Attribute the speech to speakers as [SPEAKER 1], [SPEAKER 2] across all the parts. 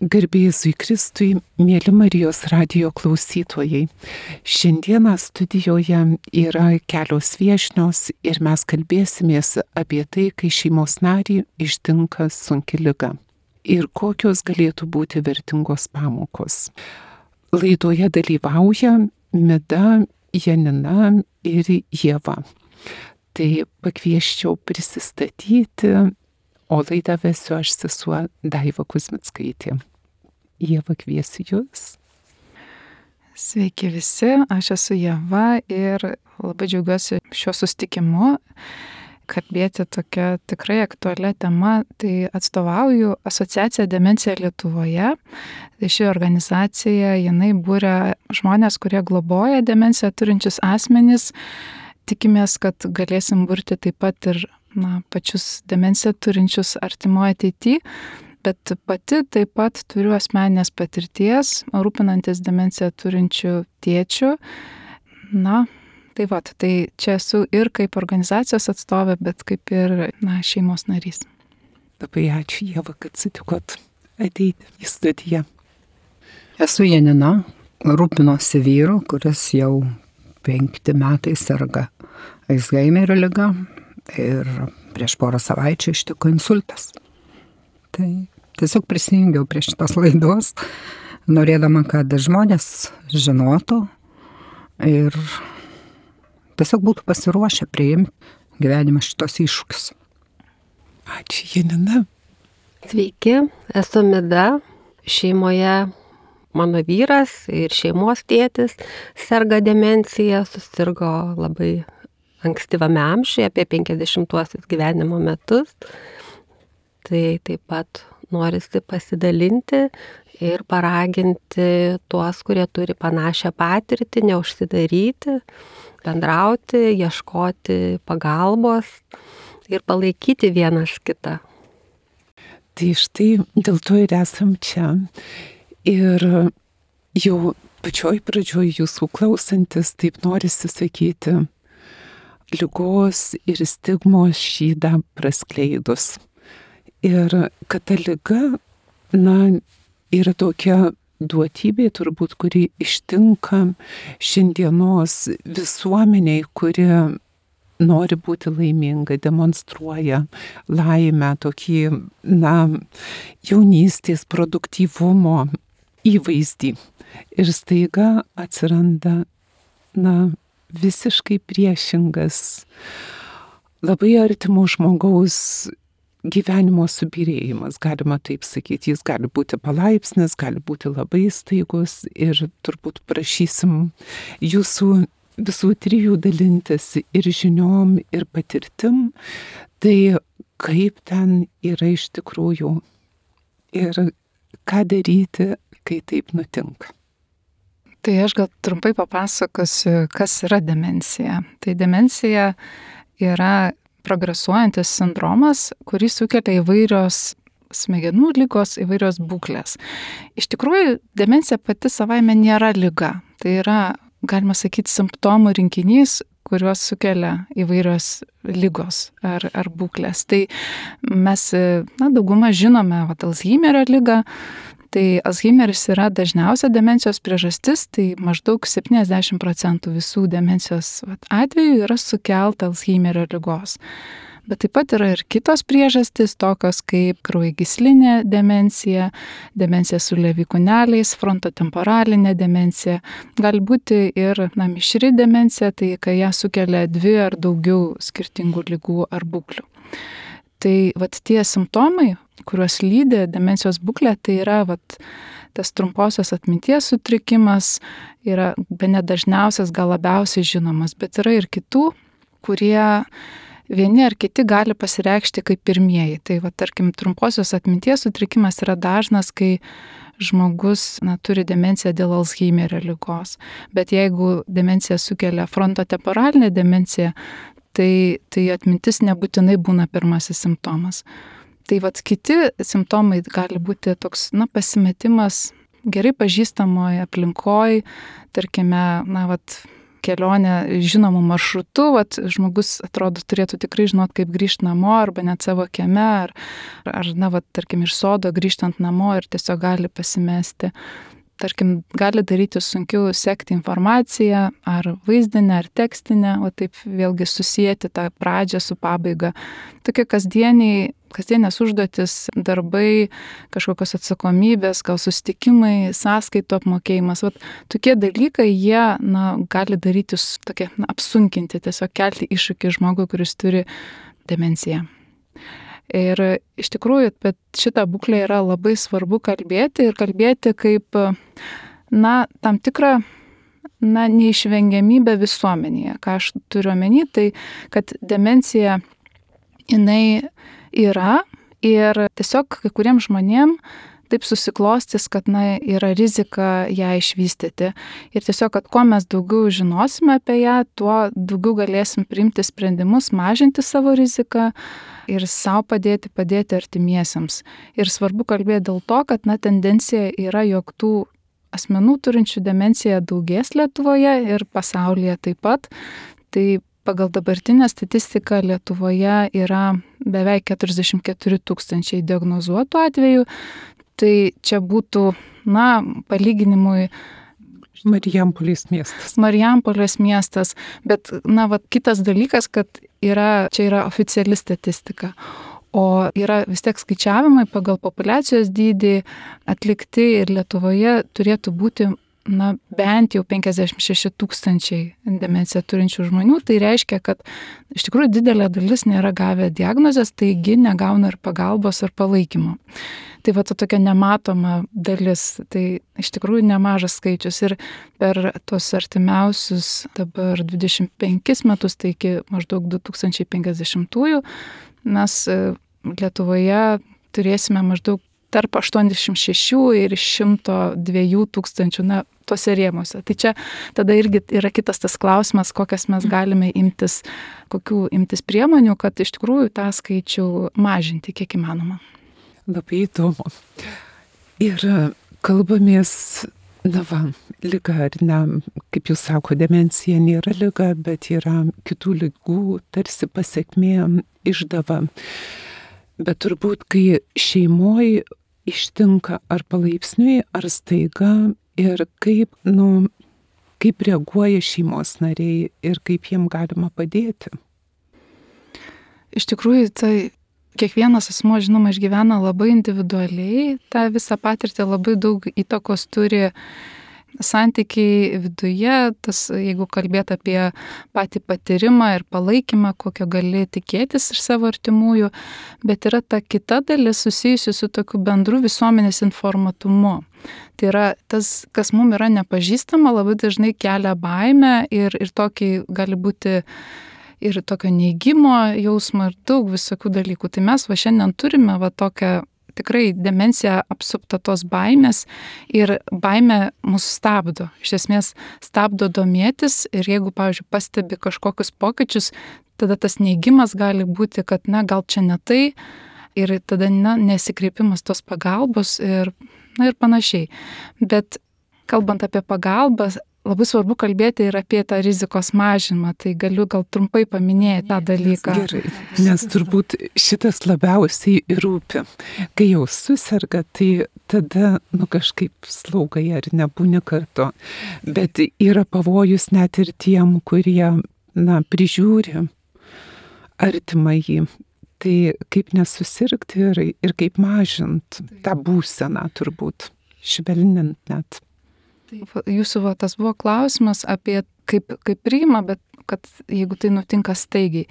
[SPEAKER 1] Garbė Jėzui Kristui, mėly Marijos radijo klausytojai. Šiandieną studijoje yra kelios viešnios ir mes kalbėsimės apie tai, kai šeimos narį ištinka sunki liga ir kokios galėtų būti vertingos pamokos. Laidoje dalyvauja Mida, Janina ir Ieva. Tai pakvieščiau prisistatyti, o laidą vesiu aš, sesuo Daiva Kuzmickaitė. Ieva, kviesiu jūs.
[SPEAKER 2] Sveiki visi, aš esu Ieva ir labai džiaugiuosi šiuo susitikimu. Kalbėti tokia tikrai aktualia tema, tai atstovauju asociaciją Demencija Lietuvoje. Tai ši organizacija, jinai būria žmonės, kurie globoja demenciją turinčius asmenys. Tikimės, kad galėsim burti taip pat ir pačius demenciją turinčius artimoje ateityje. Bet pati taip pat turiu asmeninės patirties, rūpinantis demenciją turinčių tėčių. Tai čia esu ir kaip organizacijos atstovė, bet kaip ir šeimos narys.
[SPEAKER 1] Labai ačiū, Ieva, kad sutikot ateiti į studiją.
[SPEAKER 3] Esu Janina, rūpinosi vyru, kuris jau 5 metai serga Alzheimerio liga ir prieš porą savaičių ištiko insultas. Tai tiesiog prisijungiau prie šitos laidos, norėdama, kad žmonės žinotų ir tiesiog būtų pasiruošę priimti gyvenimą šitos iššūkius.
[SPEAKER 1] Ačiū, Janina.
[SPEAKER 4] Sveiki, esu Mida. Šeimoje mano vyras ir šeimos tėtis serga demencija, susirgo labai ankstyvame amžiuje, apie 50-uosius gyvenimo metus. Tai taip pat norisi pasidalinti ir paraginti tuos, kurie turi panašią patirtį, neužsidaryti, bendrauti, ieškoti pagalbos ir palaikyti vienas kitą.
[SPEAKER 1] Tai štai dėl to ir esam čia. Ir jau pačioj pradžioj jūsų klausantis, taip norisi sakyti, ligos ir stigmos šydą praskleidus. Ir kad ta liga, yra tokia duotybė turbūt, kuri ištinka šiandienos visuomeniai, kuri nori būti laiminga, demonstruoja laimę, tokį, jaunystės produktyvumo įvaizdį. Ir staiga atsiranda, visiškai priešingas, labai artimo žmogaus gyvenimo subyrėjimas, galima taip sakyti. Jis gali būti palaipsnis, gali būti labai staigus ir turbūt prašysim jūsų visų trijų dalintis ir žiniom, ir patirtim, tai kaip ten yra iš tikrųjų ir ką daryti, kai taip nutinka.
[SPEAKER 2] Tai aš gal trumpai papasakosiu, kas yra demencija. Tai demencija yra progresuojantis sindromas, kurį sukelia įvairios smegenų ligos, įvairios būklės. Iš tikrųjų, demencija pati savaime nėra liga. Tai yra, galima sakyti, simptomų rinkinys, kuriuos sukelia įvairios ligos ar būklės. Tai mes, daugumą žinome, Alzheimerio ligą. Tai Alzheimeris yra dažniausia demencijos priežastis, tai maždaug 70% visų demencijos atvejų yra sukelta Alzheimerio ligos. Bet taip pat yra ir kitos priežastys, tokios kaip kraujagyslinė demencija, demencija su Levi kūneliais, frontotemporalinė demencija. Gali būti ir mišri demencija, tai kai ją sukelia 2 ar daugiau skirtingų ligų ar būklių. Tai tie simptomai, kuriuos lydi demencijos būklė, tai yra tas trumposios atminties sutrikimas, yra bene dažniausias, gal labiausiai žinomas, bet yra ir kitų, kurie vieni ar kiti gali pasireikšti kaip pirmieji. Tai tarkim, trumposios atminties sutrikimas yra dažnas, kai žmogus turi demenciją dėl Alzheimerio ligos. Bet jeigu demencija sukelia frontotemporalinę demenciją, tai atmintis nebūtinai būna pirmasis simptomas. Tai kiti simptomai gali būti toks, pasimetimas gerai pažįstamoje aplinkoje, tarkime, kelionę žinomų maršrutų, žmogus atrodo turėtų tikrai žinot, kaip grįžti namo, arba net savo kieme, ar tarkim, iš sodo grįžtant namo ir tiesiog gali pasimesti. Tarkim, gali daryti sunkiau sekti informaciją, ar vaizdinę, ar tekstinę, taip vėlgi susijęti tą pradžią su pabaiga. Tokie kasdienės užduotis, darbai, kažkokios atsakomybės, gal susitikimai, sąskaitų apmokėjimas. Tokie dalykai, jie gali daryti tokie, apsunkinti, tiesiog kelti iššūkį žmogui, kuris turi demenciją. Ir iš tikrųjų, bet šitą būklę yra labai svarbu kalbėti ir kalbėti kaip, tam tikrą, neišvengiamybę visuomenėje. Ką aš turiu omeny, tai kad demencija, jinai yra ir tiesiog kai kuriems žmonėm taip susiklostys, kad yra rizika ją išvystyti. Ir tiesiog, kad kuo mes daugiau žinosime apie ją, tuo daugiau galėsim priimti sprendimus, mažinti savo riziką ir savo padėti artimiesiems. Ir svarbu kalbėti dėl to, kad tendencija yra, jog tų asmenų turinčių demenciją daugės Lietuvoje ir pasaulyje taip pat. Tai pagal dabartinę statistiką Lietuvoje yra beveik 44 000 diagnozuotų atvejų. Tai čia būtų, palyginimui
[SPEAKER 1] Marijampolės miestas.
[SPEAKER 2] Marijampolės miestas, bet, kitas dalykas, kad čia yra oficiali statistika, o yra vis tiek skaičiavimai pagal populiacijos dydį atlikti ir Lietuvoje turėtų būti, bent jau 56 000 demenciją turinčių žmonių. Tai reiškia, kad iš tikrųjų didelė dalis nėra gavę diagnozės, taigi negauna ir pagalbos ar palaikymo. Tai tokia nematoma dalis, tai iš tikrųjų nemažas skaičius. Ir per tos artimiausius dabar 25 metus, tai iki maždaug 2050-ųjų, mes Lietuvoje turėsime maždaug tarp 86 ir 102 tūkstančių, tose rėmuose. Tai čia tada irgi yra kitas tas klausimas, kokias mes galime kokių imtis priemonių, kad iš tikrųjų tą skaičių mažinti kiek įmanoma.
[SPEAKER 1] Labai įdomu. Ir kalbamės, liga ar ne, kaip jūs sako, demencija nėra liga, bet yra kitų ligų, tarsi pasekmė, išdava. Bet turbūt, kai šeimoje ištinka ar palaipsniui, ar staiga, ir kaip reaguoja šeimos nariai ir kaip jiem galima padėti.
[SPEAKER 2] Iš tikrųjų, tai kiekvienas asmuo, žinoma, išgyvena labai individualiai, tą visą patirtį labai daug įtakos turi santykiai viduje, jeigu kalbėt apie patį patyrimą ir palaikymą, kokio gali tikėtis iš savo artimųjų, bet yra ta kita dalis susijusi su tokiu bendru visuomenės informatumu. Tai yra tas, kas mums yra nepažįstama, labai dažnai kelia baimę ir tokį gali būti ir tokio neigimo jausmo ir daug visokių dalykų. Tai mes šiandien turime tokią tikrai demencija apsupta tos baimės ir baimė mus stabdo. Iš esmės stabdo domėtis ir jeigu, pavyzdžiui, pastebi kažkokius pokyčius, tada tas neigimas gali būti, kad gal čia ne tai ir tada nesikreipimas tos pagalbos ir panašiai. Bet kalbant apie pagalbą, labai svarbu kalbėti ir apie tą rizikos mažinimą, tai galiu gal trumpai paminėti tą dalyką.
[SPEAKER 1] Gerai, nes turbūt šitas labiausiai rūpi. Kai jau susirga, tai tada kažkaip slaugai ar nebūni kartu. Bet yra pavojus net ir tiem, kurie prižiūri artimąjį. Tai kaip nesusirgti ir kaip mažint tą būseną turbūt, švelninant net.
[SPEAKER 2] Jūsų tas buvo klausimas apie kaip priima, bet kad jeigu tai nutinka staigiai.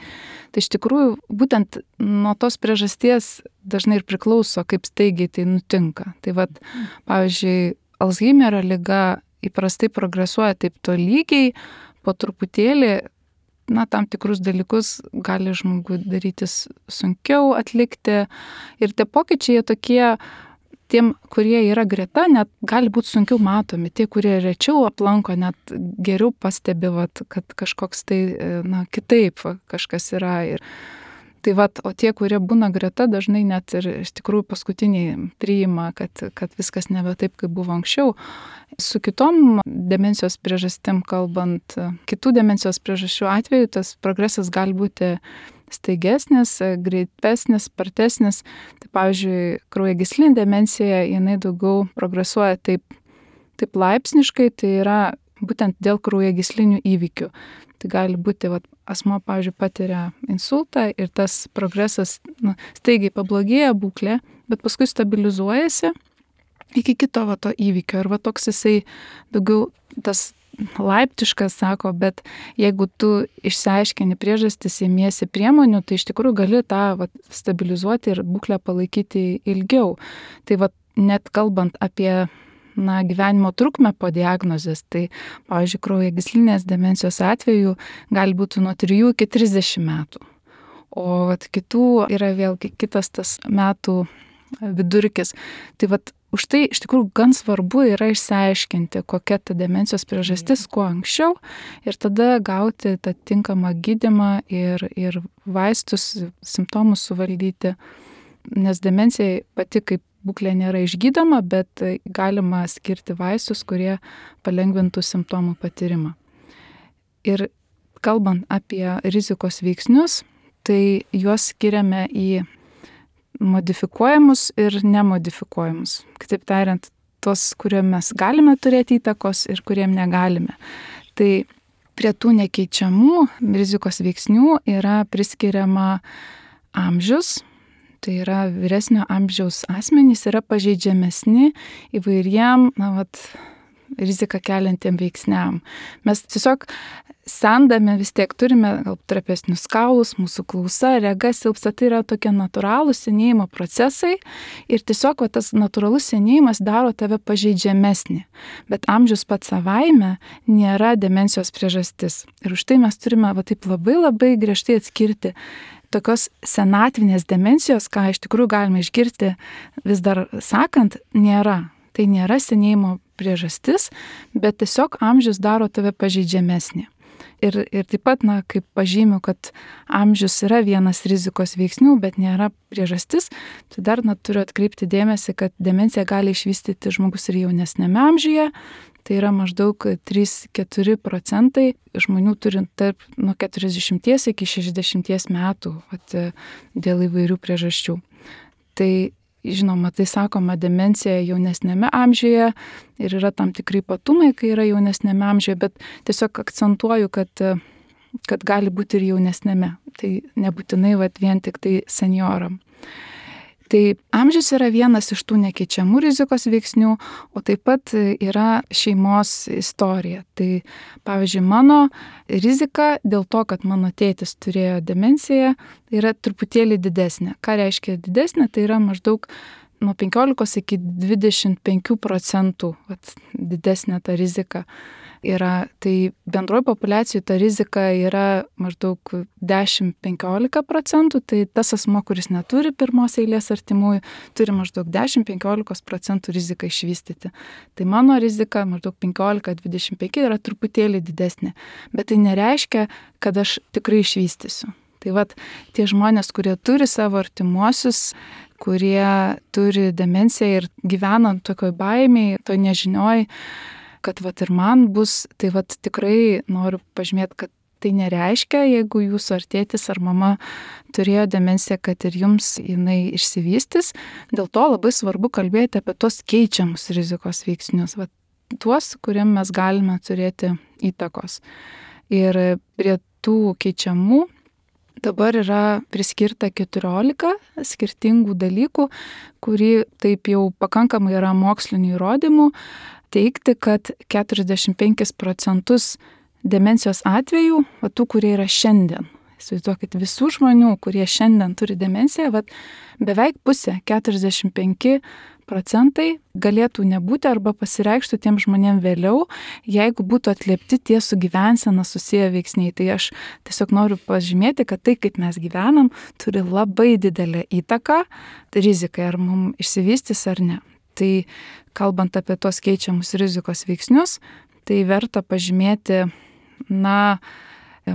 [SPEAKER 2] Tai iš tikrųjų būtent nuo tos priežasties dažnai ir priklauso, kaip staigiai tai nutinka. Tai pavyzdžiui, Alzheimerio liga įprastai progresuoja taip tolygiai, po truputėlį, tam tikrus dalykus gali žmogui darytis sunkiau atlikti. Ir tie pokyčiai tokie, tiem, kurie yra greta, net gali būti sunkiau matomi. Tie, kurie rečiau aplanko, net geriau pastebi, kad kažkoks tai, kitaip kažkas yra. Tai o tie, kurie būna greta, dažnai net ir iš tikrųjų paskutiniai priima, kad viskas nebe taip, kaip buvo anksčiau. Su kitom demencijos priežastim kalbant, kitų demencijos priežasčių atveju tas progresas gali būti staigesnis, greitesnis, spartesnis. Tai pavyzdžiui, kraujagyslinė demencija, jinai daugiau progresuoja taip laipsniškai, tai yra būtent dėl kraujagyslinių įvykių. Tai gali būti, asmuo, pavyzdžiui, patiria insultą ir tas progresas staigiai pablogėja būklė, bet paskui stabilizuojasi iki kito to įvykio. Ir toks jisai daugiau tas laiptiškas, sako, bet jeigu tu išsiaiškini priežastis, imiesi priemonių, tai iš tikrųjų gali tą stabilizuoti ir būklę palaikyti ilgiau. Tai net kalbant apie gyvenimo trukmę po diagnozės, tai, pavyzdžiui, kraujagyslinės demencijos atveju gali būti nuo 3 iki 30 metų. O kitų yra vėlgi kitas tas metų vidurkis. Tai už tai iš tikrųjų gan svarbu yra išsiaiškinti, kokia ta demencijos priežastis, kuo anksčiau, ir tada gauti tą tinkamą gydymą ir vaistus, simptomus suvaldyti. Nes demencija pati kaip būklė nėra išgydoma, bet galima skirti vaistus, kurie palengvintų simptomų patyrimą. Ir kalbant apie rizikos veiksnius, tai juos skiriame į modifikuojamus ir nemodifikuojamus. Kitaip tariant, tos, kuriem mes galime turėti įtakos ir kuriem negalime. Tai prie tų nekeičiamų rizikos veiksnių yra priskiriama amžius. Tai yra vyresnio amžiaus asmenys yra pažeidžiamesni įvairiem, riziką keliantiem veiksniam. Mes tiesiog sendami vis tiek turime trapesnius kaulus, mūsų klausa, rega silpsta, tai yra tokie natūralūs senėjimo procesai ir tiesiog tas natūralus senėjimas daro tave pažeidžiamesnį. Bet amžius pats savaime nėra demencijos priežastis. Ir už tai mes turime taip labai griežtai atskirti tokios senatvinės demencijos, ką iš tikrųjų galime išgirsti vis dar sakant, nėra. Tai nėra senėjimo priežastis, bet tiesiog amžius daro tave pažeidžiamesnį. Ir taip pat, kaip pažymiu, kad amžius yra vienas rizikos veiksnių, bet nėra priežastis, tai dar turiu atkreipti dėmesį, kad demencija gali išvystyti žmogus ir jaunesnėme amžiuje. Tai yra maždaug 3-4% žmonių turint nuo 40 iki 60 metų dėl įvairių priežasčių. Tai žinoma, tai sakoma demencija jaunesnėme amžiuje ir yra tam tikrai ypatumai, kai yra jaunesnėme amžiuje, bet tiesiog akcentuoju, kad gali būti ir jaunesnėme. Tai nebūtinai vien tik tai senjoram. Tai amžius yra vienas iš tų nekeičiamų rizikos veiksnių, o taip pat yra šeimos istorija. Tai pavyzdžiui, mano rizika dėl to, kad mano tėtis turėjo demenciją, yra truputėlį didesnė. Ką reiškia didesnė? Tai yra maždaug nuo 15 iki 25% didesnė ta rizika yra. Tai bendroji populiacijai ta rizika yra maždaug 10-15%, tai tas asmo, kuris neturi pirmos eilės artimųjų, turi maždaug 10-15% riziką išvystyti. Tai mano rizika maždaug 15-25 yra truputėlį didesnė, bet tai nereiškia, kad aš tikrai išvystysiu. Tai tie žmonės, kurie turi savo artimuosius, kurie turi demenciją ir gyvena tokioj baimėj, toj nežinioj, kad ir man bus, tai tikrai noriu pažymėti, kad tai nereiškia, jeigu jūsų ar tėtis ar mama turėjo demenciją, kad ir jums jinai išsivystys. Dėl to labai svarbu kalbėti apie tos keičiamus rizikos veiksnius, tuos, kuriem mes galime turėti įtakos. Ir prie tų keičiamų dabar yra priskirta 14 skirtingų dalykų, kurį taip jau pakankamai yra mokslinių įrodymų teikti, kad 45% demencijos atvejų, tų, kurie yra šiandien. Įsivaizduokit, visų žmonių, kurie šiandien turi demenciją, beveik pusė, 45% galėtų nebūti arba pasireikštų tiem žmonėm vėliau, jeigu būtų atliepti tie su gyvensena susiję veiksniai. Tai aš tiesiog noriu pažymėti, kad tai, kaip mes gyvenam, turi labai didelę įtaką rizikai, ar mums išsivystys ar ne. Tai kalbant apie tos keičiamus rizikos veiksnius, tai verta pažymėti,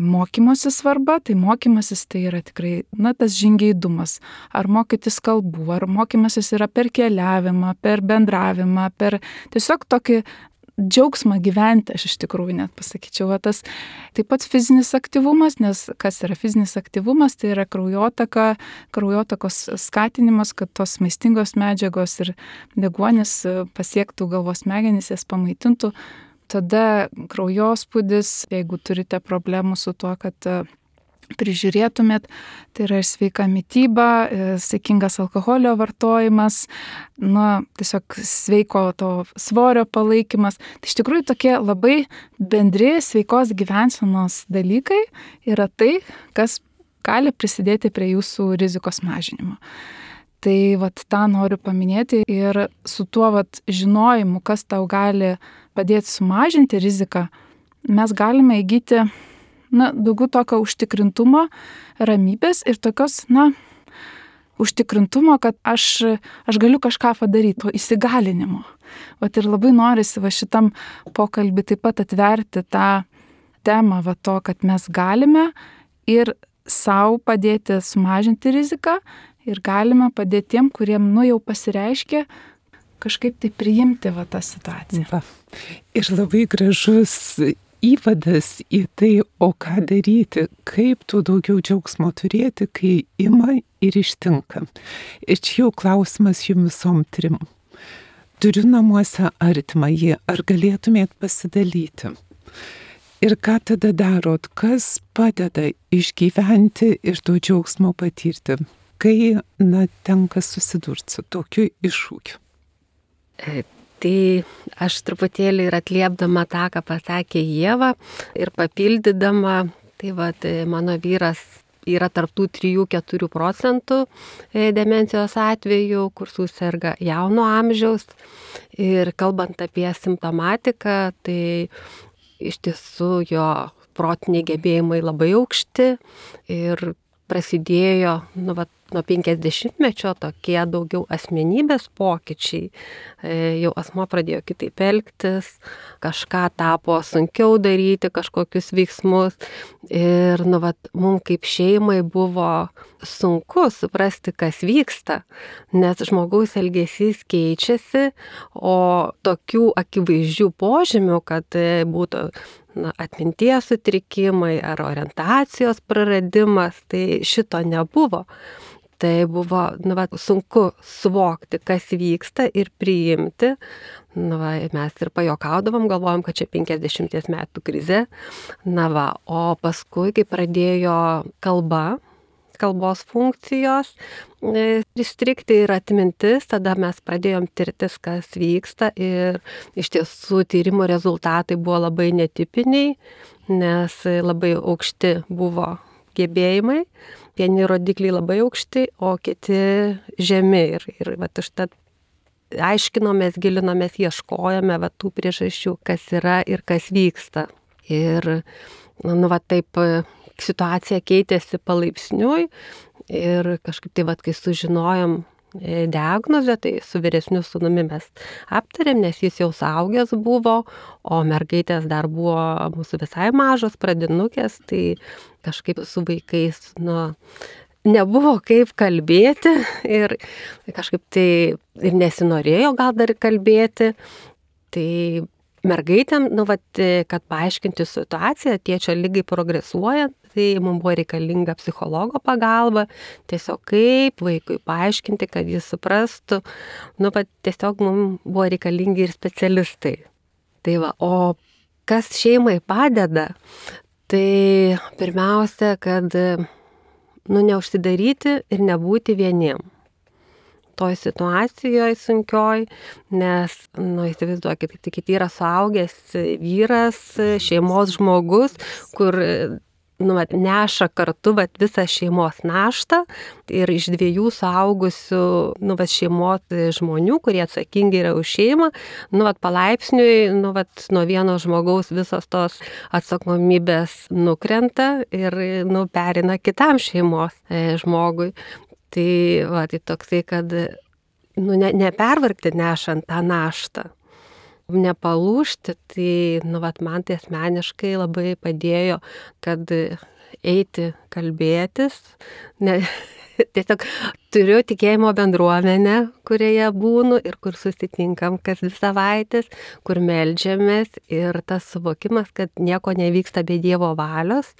[SPEAKER 2] mokymosi svarba, tai mokymasis tai yra tikrai, tas žingeidumas. Ar mokytis kalbų, ar mokymasis yra per keliavimą, per bendravimą, per tiesiog tokį džiaugsmą gyventi, aš iš tikrųjų net pasakyčiau. Tas taip pat fizinis aktyvumas, nes kas yra fizinis aktyvumas, tai yra kraujotakos skatinimas, kad tos maistingos medžiagos ir deguonis pasiektų galvos smegenis, jas pamaitintų. Tada kraujospūdis, jeigu turite problemų su tuo, kad prižiūrėtumėt, tai yra ir sveika mityba, saikingas alkoholio vartojimas, tiesiog sveiko to svorio palaikymas. Tai iš tikrųjų tokie labai bendri sveikos gyvensenos dalykai yra tai, kas gali prisidėti prie jūsų rizikos mažinimo. Tai tą noriu paminėti ir su tuo žinojimu, kas tau gali padėti sumažinti riziką, mes galime įgyti daugiau tokio užtikrintumo, ramybės ir tokios, užtikrintumo, kad aš galiu kažką padaryti, to įsigalinimo. Ir labai norisi šitam pokalbį taip pat atverti tą temą to, kad mes galime ir sau padėti sumažinti riziką ir galime padėti tiem, kuriem jau pasireiškia, kažkaip tai priimti tą situaciją.
[SPEAKER 1] Ir labai gražus įvadas į tai, o ką daryti, kaip tu daugiau džiaugsmo turėti, kai ima ir ištinka. Ir čia jau klausimas jums visom trim. Turiu namuose artimąjį, ar galėtumėt pasidalyti? Ir ką tada darot, kas padeda išgyventi ir to džiaugsmo patirti, kai tenka susidurti su tokiu iššūkiu?
[SPEAKER 4] Tai aš truputėlį ir atliepdama tą, ką pasakė Ieva ir papildydama, tai mano vyras yra tarptų 3-4% demencijos atvejų, kur suserga jauno amžiaus. Ir kalbant apie simptomatiką, tai iš tiesų jo protiniai gebėjimai labai aukšti ir prasidėjo nuo 50-mečio tokie daugiau asmenybės pokyčiai. Jau asmuo pradėjo kitaip elgtis, kažką tapo sunkiau daryti, kažkokius veiksmus. Ir mums kaip šeimai buvo sunku suprasti, kas vyksta, nes žmogaus elgesys keičiasi, o tokių akivaizdžių požymių, kad būtų atminties sutrikimai ar orientacijos praradimas, tai šito nebuvo. Tai buvo sunku suvokti, kas vyksta ir priimti. Mes ir pajokaudavom, galvojom, kad čia 50 metų krizė. O paskui, kai pradėjo kalbos funkcijos įstrigti ir atmintis, tada mes pradėjom tirtis, kas vyksta, ir iš tiesų tyrimo rezultatai buvo labai netipiniai, nes labai aukšti buvo gebėjimai, vieni rodikliai labai aukšti, o kiti žemi. Ir užtat aiškinomės, gilinomės, ieškojome tų priežasčių, kas yra ir kas vyksta. Ir taip situacija keitėsi palaipsniui ir kažkaip tai kai sužinojom diagnozę, tai su vyresniu sūnumi mes aptarėm, nes jis jau suaugęs buvo, o mergaitės dar buvo mūsų visai mažos, pradinukės, tai kažkaip su vaikais nebuvo kaip kalbėti ir kažkaip tai ir nesinorėjo gal dar kalbėti. Tai mergaitėm, kad paaiškinti situaciją, tėčio ligai progresuojant, tai mums buvo reikalinga psichologo pagalba, tiesiog kaip vaikui paaiškinti, kad jis suprastų, tiesiog mums buvo reikalingi ir specialistai. O kas šeimai padeda, tai pirmiausia, kad neužsidaryti ir nebūti vieniem toj situacijoje sunkioj, nes, įsivaizduokit, tik yra suaugęs vyras, šeimos žmogus, kur neša kartu visą šeimos naštą ir iš 2 suaugusių šeimos žmonių, kurie atsakingi yra už šeimą, palaipsniui, nuo vieno žmogaus visos tos atsakomybės nukrenta ir perina kitam šeimos žmogui. Tai toksai, kad nepervargti nešant tą naštą. nepalūžti, tai, man tai asmeniškai labai padėjo, kad eiti kalbėtis, tiesiog turiu tikėjimo bendruomenę, kurioje būnu ir kur susitinkam kas 2 savaitės, kur meldžiamės ir tas suvokimas, kad nieko nevyksta be Dievo valios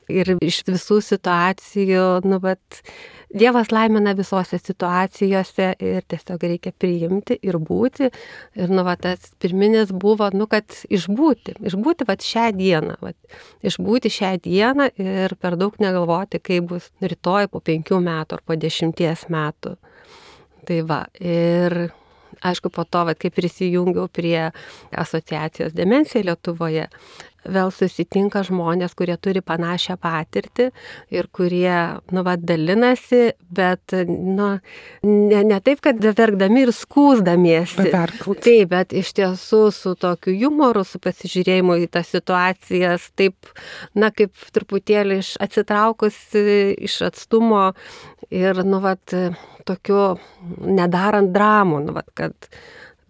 [SPEAKER 4] ir iš visų situacijų, Dievas laimina visose situacijose ir tiesiog reikia priimti ir būti. Ir tas pirminis buvo, kad išbūti šią dieną, išbūti šią dieną ir per daug negalvoti, kaip bus rytoj po 5 metų ar po 10 metų. Tai ir aišku, po to, kai prisijungiau prie asociacijos Demencija Lietuvoje, vėl susitinka žmonės, kurie turi panašią patirtį ir kurie, dalinasi, bet, ne taip, kad verkdami ir skųsdamiesi. Taip, bet iš tiesų su tokiu jumoru, su pasižiūrėjimu į tas situacijas, taip, kaip truputėlį atsitraukus iš atstumo ir, tokiu nedarant dramų, kad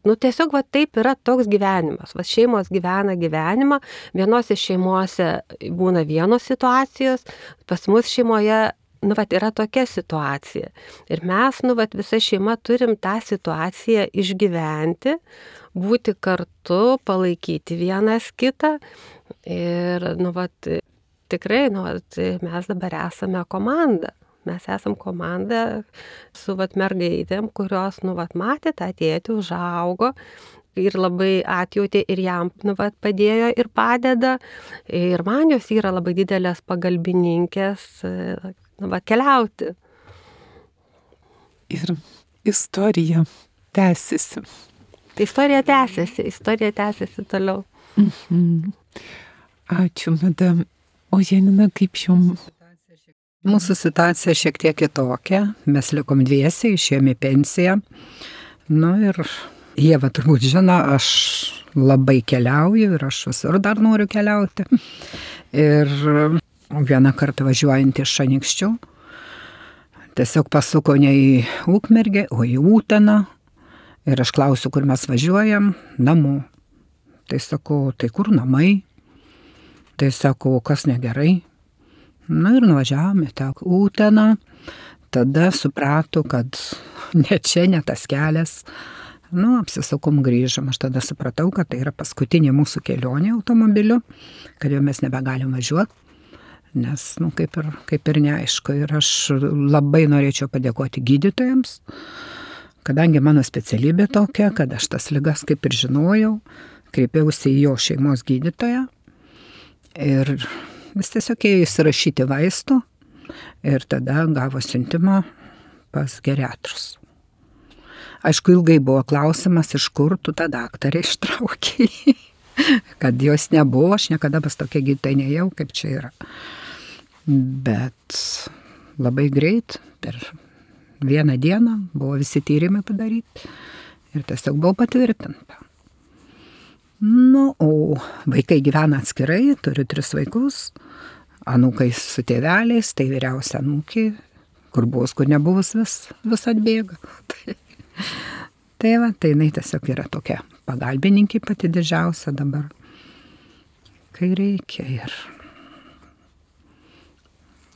[SPEAKER 4] tiesiog taip yra toks gyvenimas. Šeimos gyvena gyvenimą, vienose šeimose būna vienos situacijos, pas mus šeimoje, yra tokia situacija. Ir mes, visa šeima turim tą situaciją išgyventi, būti kartu, palaikyti vienas kitą. Ir, tikrai, mes dabar esame komanda. Mes esam komanda su mergaitėm, kurios, matė tą tėtį, užaugo ir labai atjautė ir jam, padėjo ir padeda. Ir man jos yra labai didelės pagalbininkės, keliauti.
[SPEAKER 1] Ir istorija tęsiasi.
[SPEAKER 4] Istorija tęsiasi toliau.
[SPEAKER 1] Ačiū, madam. O Janina, kaip jums?
[SPEAKER 3] Mūsų situacija šiek tiek kitokia. Mes likom 2, išėjome į pensiją. Ir Ieva turbūt žino, aš labai keliauju ir aš visur dar noriu keliauti. Ir vieną kartą važiuojant iš Šanikščių, tiesiog pasuko ne į Ukmergę, o į Uteną. Ir aš klausiu, kur mes važiuojam, namo. Tai sakau, tai kur namai? Tai sakau, kas negerai? Ir nuvažiavome tą Uteną, tada suprato, kad ne čia, ne tas kelias. Apsisukom, grįžom, aš tada supratau, kad tai yra paskutinė mūsų kelionė automobiliu, kad jau mes nebegalim važiuoti, nes, kaip ir neaišku. Ir aš labai norėčiau padėkoti gydytojams, kadangi mano specialybė tokia, kad aš tas ligas kaip ir žinojau, kreipiausi į jo šeimos gydytoją ir vis tiesiog ėjo įsirašyti vaistų ir tada gavo siuntimą pas geriatrus. Aišku, ilgai buvo klausimas, iš kur tu tą daktarę ištraukei, kad jos nebuvo, aš niekada pas tokia gydytoja nejau, kaip čia yra. Bet labai greit, per 1 dieną buvo visi tyrimai padaryti ir tiesiog buvo patvirtinta. O vaikai gyvena atskirai, turiu 3 vaikus, anūkai su tėveliais, tai vyriausia anūkė, kur buvus, kur nebuvus, vis atbėga. Tai jinai tiesiog yra tokia pagalbininkė pati didžiausia dabar, kai reikia.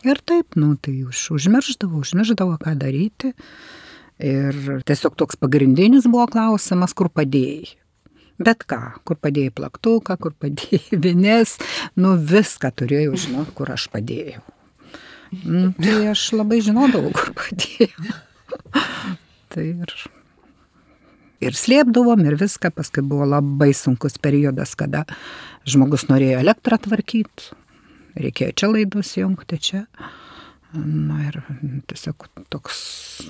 [SPEAKER 3] Ir taip, tai užmirždavo, ką daryti. Ir tiesiog toks pagrindinis buvo klausimas, kur padėjai. Bet ką, kur padėjai plaktuką, kur padėjai vines, viską turėjau žinoti, kur aš padėjau. Tai aš labai žinodavau, kur padėjau. Tai ir slėpdavom ir viską, paskui buvo labai sunkus periodas, kada žmogus norėjo elektrą tvarkyti, reikėjo čia laidus jungti, čia. Ir tiesiog toks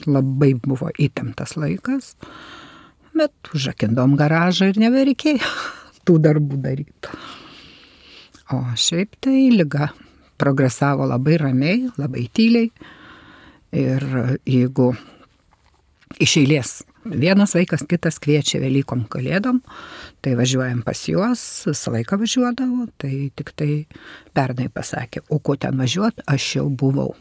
[SPEAKER 3] labai buvo įtemptas laikas. Bet užrakindom garažą ir nebereikėjo tų darbų daryti. O šiaip tai liga progresavo labai ramiai, labai tyliai. Ir jeigu iš eilės vienas vaikas, kitas kviečia Velykom Kalėdom, tai važiuojam pas juos, visą laiką važiuodavo, tai tik tai pernai pasakė, o ko ten važiuot, aš jau buvau.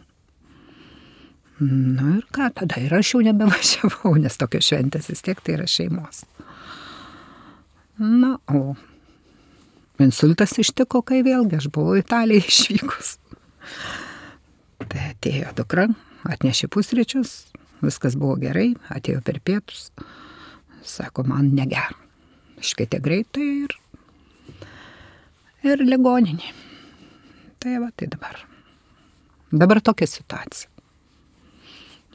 [SPEAKER 3] Ir ką, tada ir aš jau nebevažiavau, nes tokios šventės vis tiek tai yra šeimos. Na, o insultas ištiko, kai vėlgi aš buvau Italijai išvykus. Tai atėjo dukra, atnešė pusryčius, viskas buvo gerai, atėjo per pietus. Sako, man negera. Iškvietė greitai ir ligoninė. Tai va, tai dabar. Dabar tokia situacija.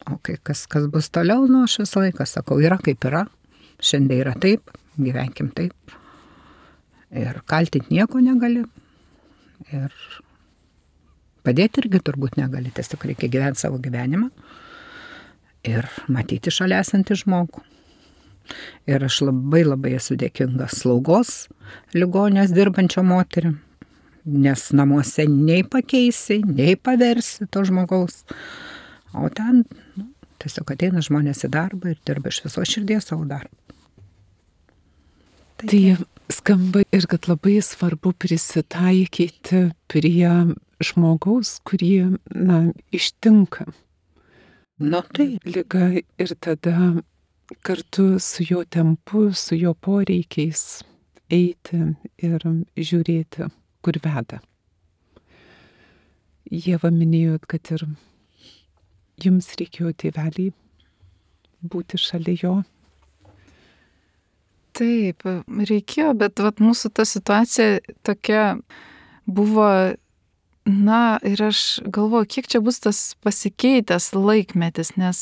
[SPEAKER 3] O kai kas bus toliau, nu aš visą laiką sakau, yra kaip yra. Šiandien yra taip, gyvenkim taip. Ir kaltinti nieko negali. Ir padėti irgi turbūt negali. Tiesiog reikia gyventi savo gyvenimą. Ir matyti šalia esantį žmogų. Ir aš labai esu dėkinga slaugos ligonės dirbančio moterim. Nes namuose nei pakeisi, nei paversi to žmogaus. O ten tiesiog ateina žmonės į darbą ir dirba iš viso širdies savo darbą.
[SPEAKER 1] Tai skamba ir kad labai svarbu prisitaikyti prie žmogaus, kurį, ištinka.
[SPEAKER 3] Tai
[SPEAKER 1] Liga ir tada kartu su jo tempu, su jo poreikiais eiti ir žiūrėti, kur veda. Ieva, minėjot, kad ir jums reikėjo tėvelį būti šalia jo.
[SPEAKER 2] Taip, reikėjo, bet mūsų ta situacija tokia buvo, ir aš galvoju, kiek čia bus tas pasikeitęs laikmetis, nes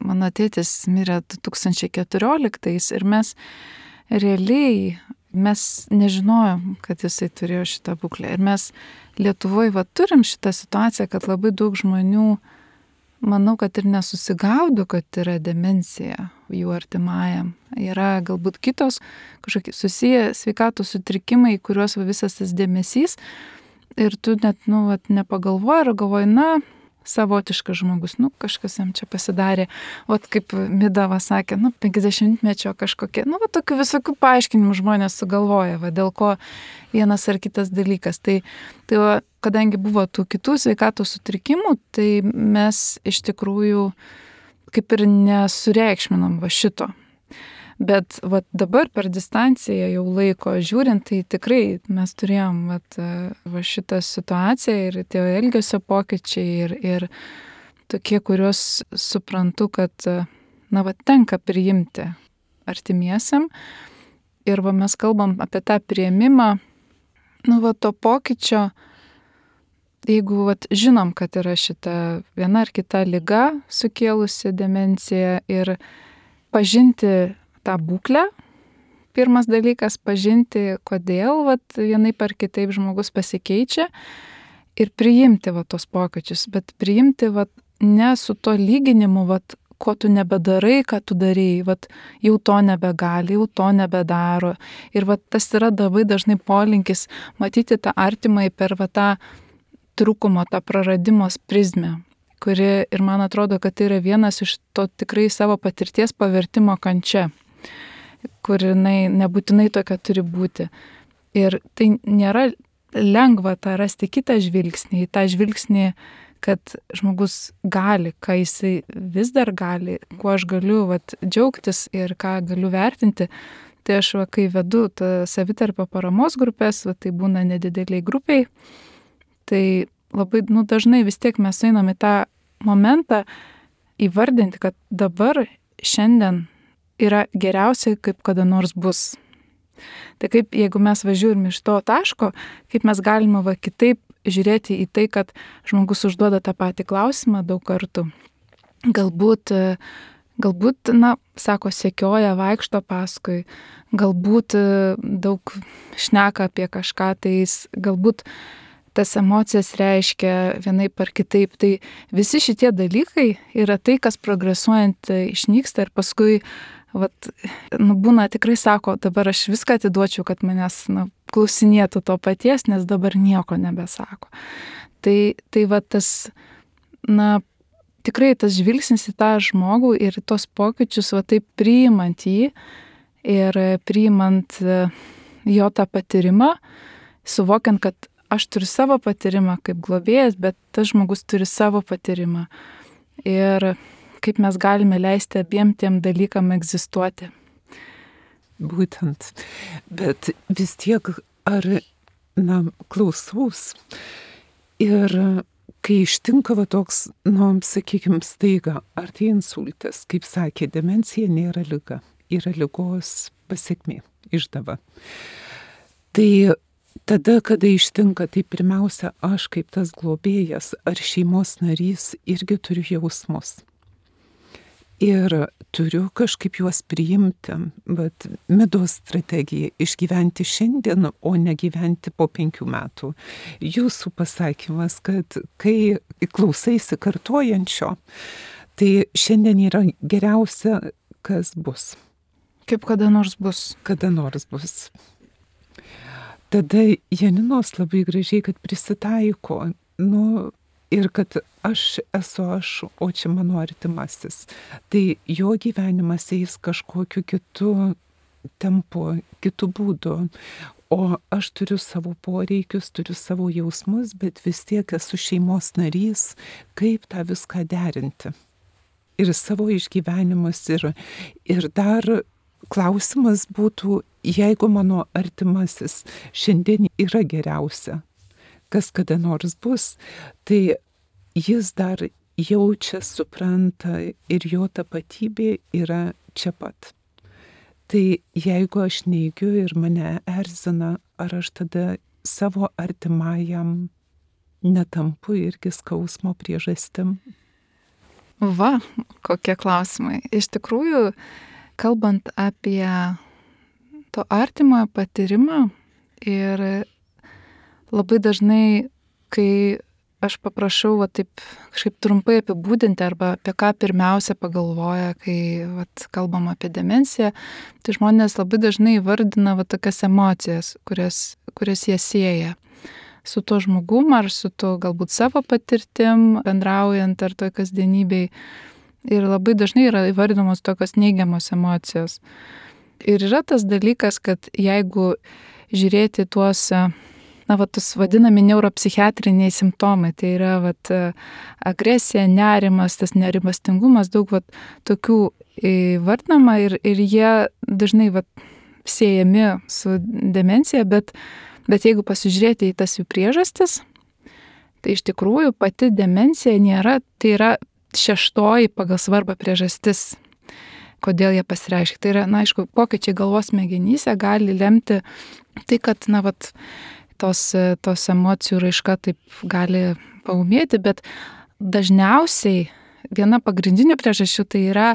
[SPEAKER 2] mano tėtis mirė 2014 ir mes nežinojom, kad jisai turėjo šitą būklę. Ir mes Lietuvoje turim šitą situaciją, kad labai daug žmonių, manau, kad ir nesusigaudo, kad yra demencija jų artimajam. Yra galbūt kitos kažkokie susiję sveikatos sutrikimai, kuriuos visas tas dėmesys ir tu net, nepagalvoji ir galvoji, savotiškas žmogus, kažkas jam čia pasidarė. Kaip Midava sakė, 50-mečio kažkokie, tokių visokių paaiškinimų žmonės sugalvoja, dėl ko vienas ar kitas dalykas. Tai kadangi buvo tų kitų sveikatos sutrikimų, tai mes iš tikrųjų kaip ir nesureikšminom šito. Bet dabar per distanciją jau laiko žiūrint, tai tikrai mes turėjom šitą situaciją ir tie elgesio pokyčiai ir tokie, kuriuos suprantu, kad tenka priimti artimiesiam. Ir mes kalbam apie tą priėmimą, to pokyčio, jeigu žinom, kad yra šita viena ar kita liga sukėlusi demenciją ir pažinti tą būklę. Pirmas dalykas - pažinti, kodėl vienaip ar kitaip žmogus pasikeičia ir priimti tos pokyčius, bet priimti ne su to lyginimu, ko tu nebedarai, ką tu darėjai, jau to nebegali, jau to nebedaro. Ir tas yra labai dažnai polinkis matyti tą artimąjį per tą trūkumo, tą praradimos prizmę, kuri ir man atrodo, kad tai yra vienas iš to tikrai savo patirties pavertimo kančia, kur jinai nebūtinai tokia turi būti. Ir tai nėra lengva tą rasti kitą žvilgsnį, tą žvilgsnį, kad žmogus gali, ką jisai vis dar gali, kuo aš galiu džiaugtis ir ką galiu vertinti. Tai aš, kai vedu savitarpio paramos grupės, tai būna nedideliai grupiai, tai labai dažnai vis tiek mes einam į tą momentą įvardinti, kad dabar, šiandien yra geriausia, kaip kada nors bus. Tai kaip, jeigu mes važiuojame iš to taško, kaip mes galime kitaip žiūrėti į tai, kad žmogus užduoda tą patį klausimą daug kartų. Galbūt, sako, sekioja, vaikšto paskui, galbūt daug šneka apie kažką, tai galbūt tas emocijas reiškia vienaip ar kitaip. Tai visi šitie dalykai yra tai, kas progresuojant išnyksta ir paskui būna tikrai sako, dabar aš viską atiduočiau, kad manęs klausinėtų to paties, nes dabar nieko nebesako. Tai tas, tikrai tas žvilgsnis į tą žmogų ir tos pokyčius, taip priimant jį ir priimant jo tą patyrimą, suvokiant, kad aš turiu savo patyrimą kaip globėjas, bet tas žmogus turi savo patyrimą. Ir kaip mes galime leisti abiem tiem dalykam egzistuoti.
[SPEAKER 1] būtent. Bet vis tiek, klausaus. Ir kai ištinka toks, sakykime, staiga, ar tai insultas, kaip sakė, demencija nėra liga, yra ligos pasekmė, išdava. Tai tada, kada ištinka, tai pirmiausia, aš kaip tas globėjas ar šeimos narys irgi turiu jausmus. Ir turiu kažkaip juos priimti, bet Midos strategija - išgyventi šiandien, o ne gyventi po 5 metų. Jūsų pasakymas, kad kai klausaisi kartojančio, tai šiandien yra geriausia, kas bus.
[SPEAKER 2] Kaip kada nors bus.
[SPEAKER 1] Kada nors bus. Tada Janinos labai gražiai, kad prisitaiko, ir kad aš esu aš, o čia mano artimasis. Tai jo gyvenimas eis kažkokiu kitu tempu, kitu būdu. O aš turiu savo poreikius, turiu savo jausmus, bet vis tiek esu šeimos narys, kaip tą viską derinti. Ir savo išgyvenimus. Ir dar klausimas būtų, jeigu mano artimasis šiandien yra geriausia, kas kada nors bus, tai jis dar jaučia, supranta ir jo tapatybė yra čia pat. Tai jeigu aš neigiu ir mane erzina, ar aš tada savo artimajam netampu irgi skausmo priežastim?
[SPEAKER 2] Va, kokie klausimai. Iš tikrųjų, kalbant apie to artimojo patyrimą ir labai dažnai, kai aš paprašau taip kažkaip trumpai apibūdinti arba apie ką pirmiausia pagalvoja, kai kalbam apie demenciją, tai žmonės labai dažnai įvardina tokias emocijas, kurias jie sieja su tuo žmogum ar su tuo galbūt savo patirtim, bendraujant ar toj kasdienybėj. Ir labai dažnai yra įvardinamos tokios neigiamos emocijos. Ir yra tas dalykas, kad jeigu žiūrėti tuos tas vadinami neuropsichiatriniai simptomai, tai yra agresija, nerimas, tas nerimastingumas, daug tokių įvardinama ir jie dažnai siejami su demencija, bet jeigu pasižiūrėti į tas jų priežastis, tai iš tikrųjų pati demencija nėra, tai yra 6 pagal svarbą priežastis, kodėl jie pasireiškia. Tai yra, aišku, pokyčiai galvos smegenyse gali lemti tai, kad, tos emocijų raiška taip gali paūmėti, bet dažniausiai viena pagrindinių priežasčių tai yra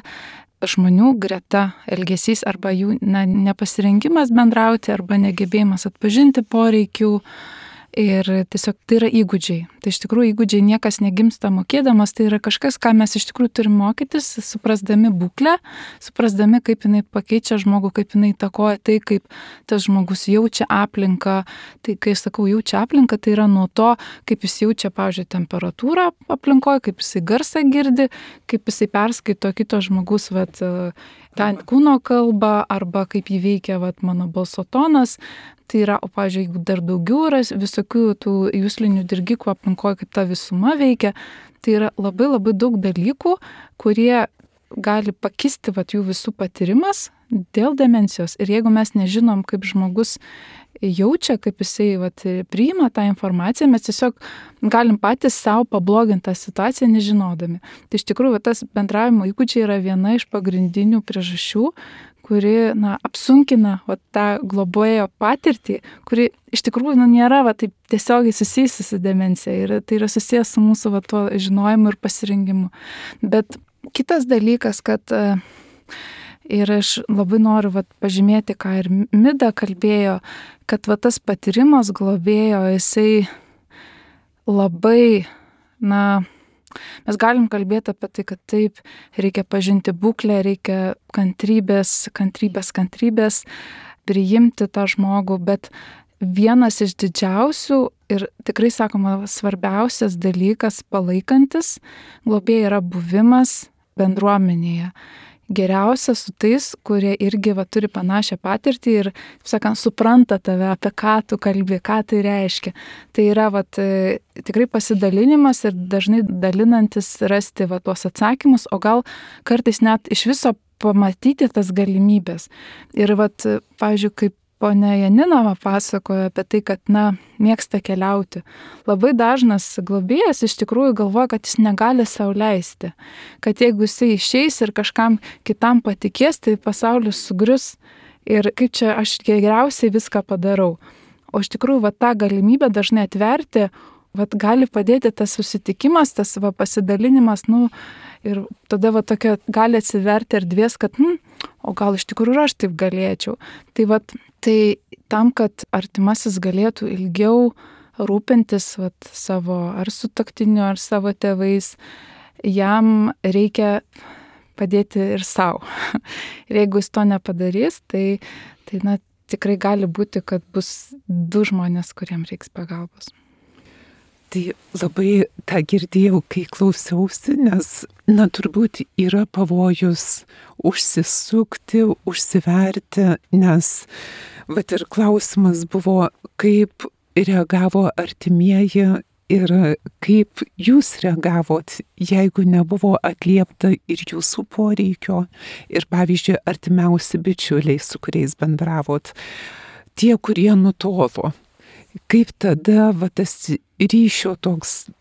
[SPEAKER 2] žmonių greta elgesys arba jų nepasirengimas bendrauti arba negebėjimas atpažinti poreikių. Ir tiesiog tai yra įgūdžiai. Tai iš tikrųjų įgūdžiai niekas negimsta mokėdamas, tai yra kažkas, ką mes iš tikrųjų turim mokytis, suprasdami būklę, suprasdami, kaip jinai pakeičia žmogų, kaip jinai įtakoja tai, kaip tas žmogus jaučia aplinką. Tai kai sakau jaučia aplinką, tai yra nuo to, kaip jis jaučia, pavyzdžiui, temperatūrą aplinkoje, kaip jisai garsą girdi, kaip jisai perskaito kito žmogus tą kūno kalbą arba kaip jį veikia mano balso tonas. Tai yra, o pavyzdžiui, jeigu dar daugiau yra visokių tų juslinių dirgiklių aplinkoje, kaip ta visuma veikia, tai yra labai labai daug dalykų, kurie gali pakisti jų visų patyrimas dėl demencijos. Ir jeigu mes nežinom, kaip žmogus jaučia, kaip jisai priima tą informaciją, mes tiesiog galim patys savo pabloginti tą situaciją nežinodami. Tai iš tikrųjų tas bendravimo įgūdžiai yra viena iš pagrindinių priežasčių, kuri apsunkina tą globėjo patirtį, kuri iš tikrųjų nėra taip tiesiogiai susijusi su demencija ir tai yra susijęs su mūsų tuo žinojimu ir pasirengimu. Bet kitas dalykas, kad ir aš labai noriu pažymėti, ką ir Mida kalbėjo, kad tas patyrimas globėjo, jisai labai, mes galim kalbėti apie tai, kad taip, reikia pažinti būklę, reikia kantrybės, priimti tą žmogų, bet vienas iš didžiausių ir tikrai, sakoma, svarbiausias dalykas palaikantis globėjai yra buvimas bendruomenėje. Geriausia su tais, kurie irgi turi panašią patirtį ir, sakant, supranta tave, apie ką tu kalbi, ką tai reiškia. Tai yra tikrai pasidalinimas ir dažnai dalinantis rasti tuos atsakymus, o gal kartais net iš viso pamatyti tas galimybės. Ir pavyzdžiui, kaip ponia Janina pasakojo apie tai, kad, mėgsta keliauti. Labai dažnas globėjas iš tikrųjų galvoja, kad jis negali sau leisti. Kad jeigu jisai išeis ir kažkam kitam patikės, tai pasaulis sugrius. Ir kaip čia aš geriausiai viską padarau. O iš tikrųjų, tą galimybę dažnai atverti, gali padėti tas susitikimas, tas pasidalinimas, ir tada tokia gali atsiverti erdvės, kad, o gal iš tikrųjų aš taip galėčiau. Tai tam, kad artimasis galėtų ilgiau rūpintis savo ar sutuoktiniu, ar savo tėvais, jam reikia padėti ir savo. Ir jeigu jis to nepadarys, tai tikrai gali būti, kad bus du žmonės, kuriems reiks pagalbos.
[SPEAKER 1] Tai labai tą girdėjau, kai klausiausi, nes, turbūt yra pavojus užsisukti, užsiverti, nes, ir klausimas buvo, kaip reagavo artimieji ir kaip jūs reagavot, jeigu nebuvo atliepta ir jūsų poreikio, ir pavyzdžiui, artimiausi bičiuliai, su kuriais bendravot, tie, kurie nutolo. Kaip tada tas ryšio toks,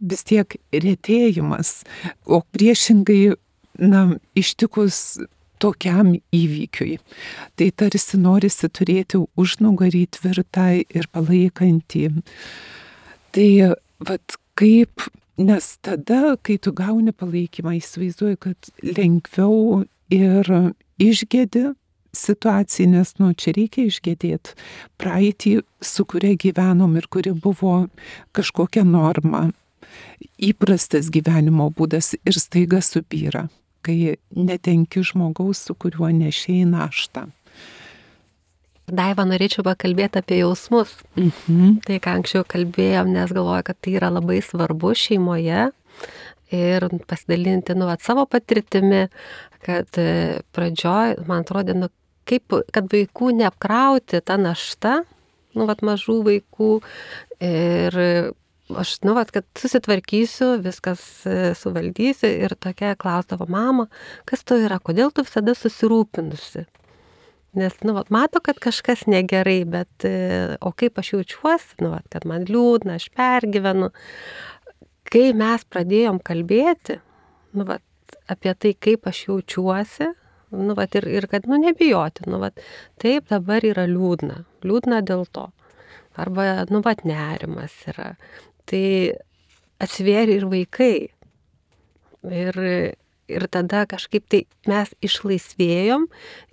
[SPEAKER 1] vis tiek retėjimas, o priešingai, ištikus tokiam įvykiui. Tai tarsi norisi turėti užnugarį tvirtą ir palaikantį. Tai kaip, nes tada, kai tu gauni palaikymą, įsivaizduoju, kad lengviau ir išgedi situacijai, nes čia reikia išgedėti praeitį, su kuria gyvenom ir kuri buvo kažkokia norma, įprastas gyvenimo būdas ir staiga supyra, kai netenki žmogaus, su kuriuo nešėjai naštą.
[SPEAKER 4] Daiva, norėčiau pakalbėti apie jausmus. Tai, ką anksčiau kalbėjom, nes galvoju, kad tai yra labai svarbu šeimoje ir pasidalinti savo patirtimi, kad pradžioj, man atrodė, kad vaikų neapkrauti tą naštą, mažų vaikų, ir aš, kad susitvarkysiu, viskas suvaldysiu, ir tokia klausdavo, mama, kas to yra, kodėl tu visada susirūpinusi? Nes, mato, kad kažkas negerai, bet, o kaip aš jaučiuosi, kad man liūdna, aš pergyvenu. Kai mes pradėjom kalbėti, apie tai, kaip aš jaučiuosi, ir kad, nebijoti, taip dabar yra liūdna dėl to. Arba, nerimas yra. Tai atsivėrė ir vaikai. Ir tada kažkaip tai mes išlaisvėjom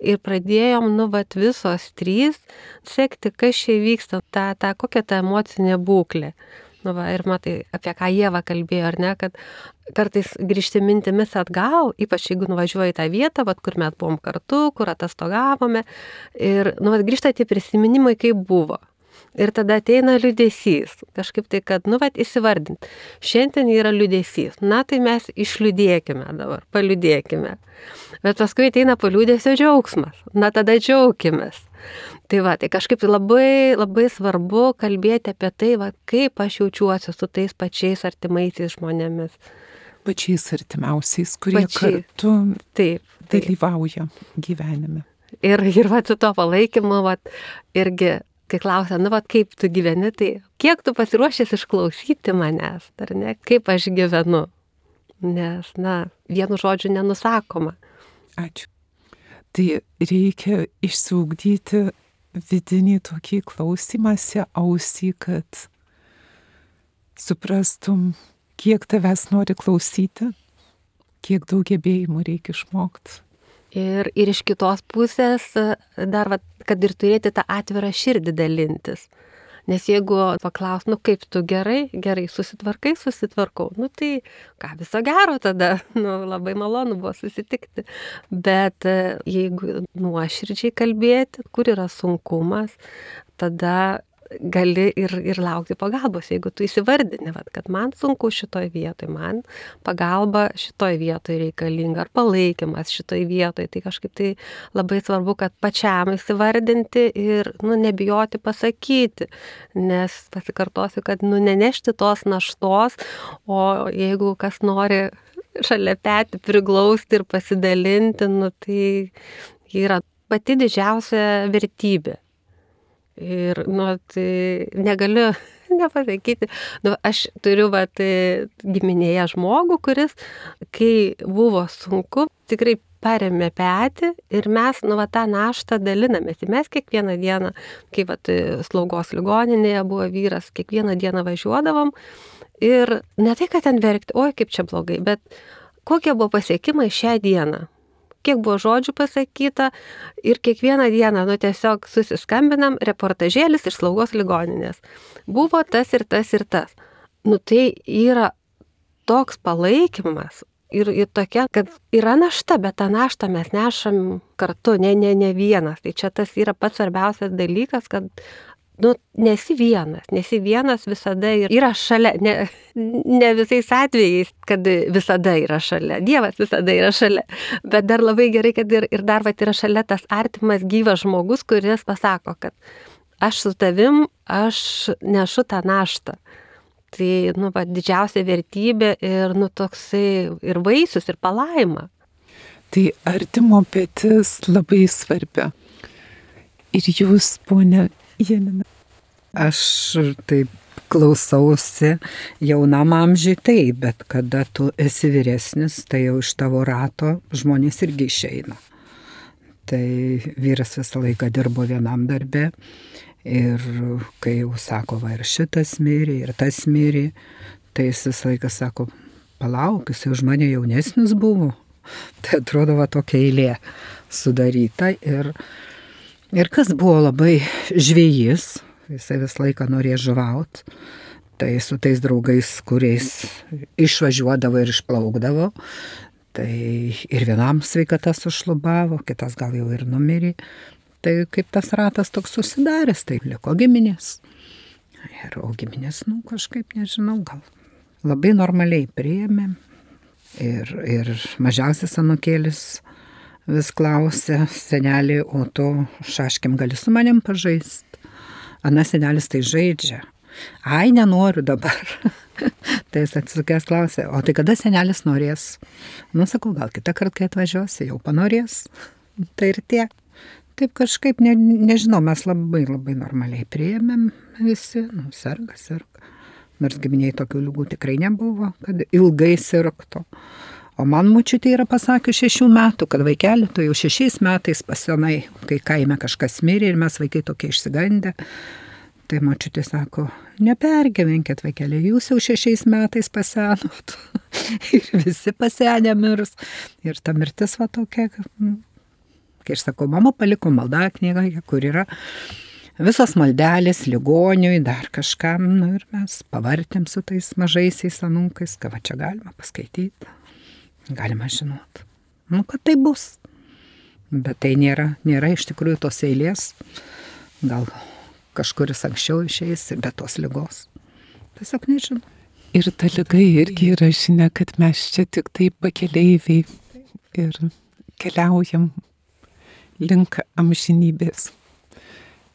[SPEAKER 4] ir pradėjom, visos trys sekti, kas čia vyksta, kokia ta emocinė būklė. Ir matai, apie ką Ieva kalbėjo, ar ne, kad kartais grįžti mintimis atgal, ypač jeigu nuvažiuoji į tą vietą, kur mes buvom kartu, kur atostogavome, ir grįžta tie prisiminimai, kaip buvo. Ir tada ateina liūdesys, kažkaip tai, kad, įsivardint. Šiandien yra liūdesys, tai mes išliūdėkime dabar, paliūdėkime. Bet paskui ateina po liūdesio džiaugsmas, tada džiaukimės. Tai kažkaip labai, labai svarbu kalbėti apie tai, kaip aš jaučiuosi su tais pačiais artimaisiais žmonėmis.
[SPEAKER 1] Pačiais artimiausiais, kurie kartu dalyvauja gyvenime.
[SPEAKER 4] Ir su to palaikymu, irgi, kai klausia, kaip tu gyveni, tai kiek tu pasiruošęs išklausyti manęs, ar ne, kaip aš gyvenu. Nes, vienu žodžiu nenusakoma.
[SPEAKER 1] Ačiū. Tai reikia išsiugdyti vidinį tokį klausimąsi ausį, kad suprastum, kiek tavęs nori klausyti, kiek daug gebėjimų reikia išmokti.
[SPEAKER 4] Ir iš kitos pusės dar, kad ir turėti tą atvirą širdį dalintis. Nes jeigu paklaus, kaip tu gerai, susitvarkau, tai ką, viso gero tada, labai malonu buvo susitikti. Bet jeigu nuoširdžiai kalbėti, kur yra sunkumas, tada gali ir laukti pagalbos, jeigu tu įsivardini, kad man sunku šitoj vietoj, man pagalba šitoj vietoj reikalinga, ar palaikymas šitoj vietoj, tai kažkaip tai labai svarbu, kad pačiam įsivardinti ir nebijoti pasakyti, nes pasikartosiu, kad nenešti tos naštos, o jeigu kas nori šalia petį priglausti ir pasidalinti, nu, tai yra pati didžiausia vertybė. Ir, nu, tai negaliu nepasakyti. Nu, aš turiu, giminėje žmogų, kuris, kai buvo sunku, tikrai paremė petį ir mes, tą naštą dalinamės. Ir mes kiekvieną dieną, kai, slaugos ligoninėje buvo vyras, kiekvieną dieną važiuodavom ir ne tai, kad ten verkti, oi, kaip čia blogai, bet kokie buvo pasiekimai šią dieną. Kiek buvo žodžių pasakyta ir kiekvieną dieną, tiesiog susiskambinam, reportažėlis iš slaugos ligoninės. Buvo tas ir tas ir tas. Tai yra toks palaikymas ir tokia, kad yra našta, bet tą naštą mes nešam kartu, ne vienas. Tai čia tas yra pats svarbiausias dalykas, kad nesi vienas visada yra šalia, ne visais atvejais, kad visada yra šalia, Dievas visada yra šalia, bet dar labai gerai, kad ir dar yra šalia tas artimas gyvas žmogus, kuris pasako, kad aš su tavim, aš nešu tą naštą. Tai, didžiausia vertybė ir, toksai ir vaisius, ir palaima.
[SPEAKER 1] Tai artimo petis labai svarbi. Ir jūs, ponia Janina?
[SPEAKER 3] Aš taip klausausi jaunam amžiui taip, bet kada tu esi vyresnis, tai jau iš tavo rato žmonės irgi išeina. Tai vyras visą laiką dirbo vienam darbe ir kai jau sako, ir šitas mirė, ir tas mirė, tai jis visą laiką sako, palauk, jis už mane jaunesnis buvo. Tai atrodo tokia eilė sudaryta ir kas buvo labai žvejys, jisai visą laiką norėjo žuvaut, tai su tais draugais, kuriais išvažiuodavo ir išplaukdavo, tai ir vienam sveikata sušlubavo, kitas gal jau ir numirė, tai kaip tas ratas toks susidaręs, tai liko giminės. O giminės, kažkaip nežinau, gal labai normaliai priėmėm ir mažiausias anūkėlis vis klausė, senelį, o tu šaškim gali su manim pažaist? Ana senelis tai žaidžia. Ai, nenoriu dabar. Tai jis atsisukęs klausė, o tai kada senelis norės? Sakau, gal kitą kartą, kai atvažiuosi, jau panorės. Tai ir tiek. Taip kažkaip, nežinau, mes labai normaliai priėmėm visi, serga. Nors giminiai tokių ligų tikrai nebuvo, kad ilgai sirgtų. O man močiutė yra pasakius 6 metų, kad vaikeli, tu jau 6 metais pasenai, kai kaime kažkas mirė ir mes vaikai tokie išsigandę. Tai močiutė sako, nepergyvenkit vaikeli, jūs jau 6 metais pasenot. Ir visi pasenę mirs. Ir ta mirtis tokia, kai aš sakau, mama paliko maldaknygą, kur yra visos maldelės ligoniui, dar kažkam, ir mes pavartėm su tais mažaisiais anūkais, ką čia galima paskaityti. Galima žinot. Kad tai bus. Bet tai nėra iš tikrųjų tos eilės. Gal kažkuris anksčiau išeis, be tos ligos. Tiesiog nežinau.
[SPEAKER 1] Ir ta liga irgi yra žinia, kad mes čia tik taip pakeleiviai ir keliaujam link amžinybės.